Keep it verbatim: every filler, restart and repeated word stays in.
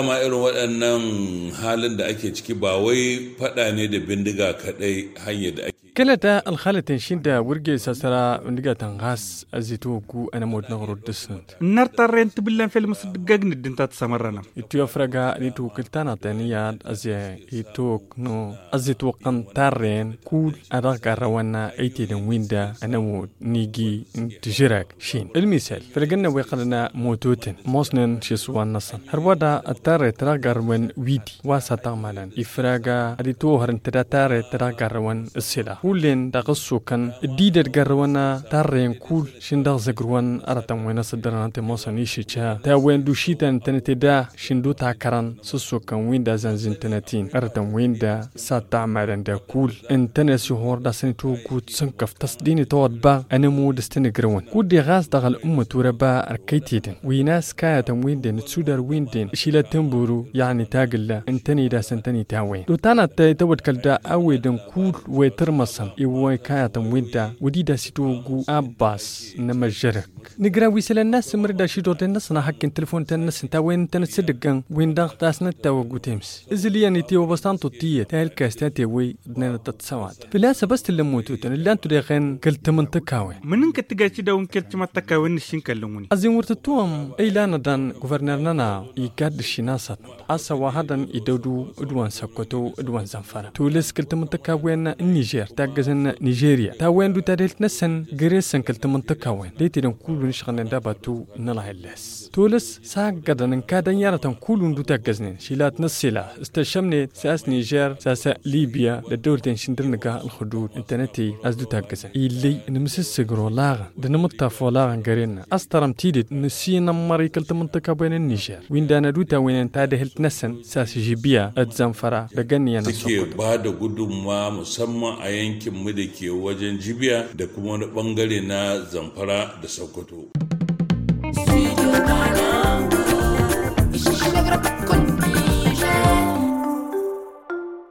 Dama irin waɗannan halin da ake ciki ba wai faɗa ne da bindiga kaɗai hanyar da ake. Kăla ta ălxalăten šinda wăr gesa săra bindigatăn ɣas ăzitwăggu ănămud n-aɣrud dăr-snăt. Ǝnnar tarrăyăn tibǝllan fel măsăddǝggag n-ǝddǝn ta tăsămărrănăm. Itwăfrăga n-itwǝkǝl ta n-atăniyad ăzitwăggu. Ăzitwăqqăn tarrăyăn kull a dăɣ-garrăwăn ăytedăn wi n-da ănămud n-iji n-tǝžrag šin ǝlmisăl făll-gănnăwăy qălăn mototăn mosnen šiswan-năsăn hărwăda ăttarrăyăt ta dăɣ-garrăwăn wi-di wa s-ad-tăɣmalăn ifrag ad-itwăwhărăn tăda tarrăyăt ta dăɣ-garrăwăn ǝssǝlaɣ hullen dăɣ-ăssokăn dd-idăd garrăwăn tarrăyăn kull šin dăɣ-zăgrǝwăn arătăn wen ăsăddărăn ănta ămoosăn išǝjja ta wen d-ušităn ǝntănăt eda šin d-utakărăn s-ăssokăn wi n-da zănzǝntănăt-in arătăn wen da s-ad-tăɣmalăn da kull ǝntănăt s-ihor d-asăn itwăggut s-ǝnkăf tăsdin itawăḍ ba ănămud s-tăn-ǝgrăwăn kud-de ɣas dăɣ-ăl'ummăt wăr-ăba ărkăytedăn wi n-a-s kayătăn wi n-den d-sudar wi n-den išilat tǝnburu. Yăɣni tagǝlla ǝntăned a-s ǝntăned tawen d-utanăt ta itawăḍkăl da a-wedăn kull wa itărmăsăn iwwăy kayătăn wi n-da wădida s-itwăggu abbas n-amăžžărăk. Nǝgra wi isălan n-asǝmrǝd ašidorden-năsăn ahăkken tǝlfon-ten-năsăn ta wen ǝntănăt s-dd-ǝggăn wi n-dăɣ tasnăt ta wăggu tems ǝzǝl iyyăn itiwăbăs ta n-tuṭṭiyyăt ta ilkas ta tewăy d-nănăt tăt-săwatăn făl-a-s ăbas t-ǝllăn mototăn ǝllan-tu deɣen kăl-tǝmǝntăkawen. Mǝnǝnkăt tǝgay s-dd-awǝn kăl-tǝmǝntăkawen n-ašǝnkăllăn-wǝn. Ăzzin wăr tǝttuwăm ăylan-ăḍan guvărner-nănăɣ iggadd ǝššin a-s ad-nǝḍa a-s a-wa hăḍăn idăw-du d-wa n-săkkăto d-wa n-zănfăra tolăs kăl-tǝmǝntăkawen n-nižer taggăzăn nižerya ta-wen-du tadhǝlt-năsăn găre-săn kăl-tǝmǝntăkawen d-aytedăn kull wi n-išɣǝlnen d-abatu n-ălɣelles tolăs s-aggăḍăn ǝnkadăn i-arătăn kull wi n-dd-taggăznen šilat n-ăssila s-tăššămnet s-a-s nižer s-a-s libya d-ăddăwlăten šindăr nǝga ălxǝdud ǝntănăt-i a-s dd-taggăzăn illăy nǝmsǝssǝgr olaɣăn d-nǝmǝṭṭaf olaɣăn găre-năn a-s tărăm tidǝt nǝsinămmăr i-kăl-tǝmǝnṭǝka a-wen n-nižer wi n-danăd utawenen tadhǝlt-năsăn s-a-s žibya d-zănfăra d-agăn iyyăn ăssokot. Ba da gudumma musamman a yankin mǝdăke wajen jibiya da kuma wani ɓăngare na zănfăra da săkkăto.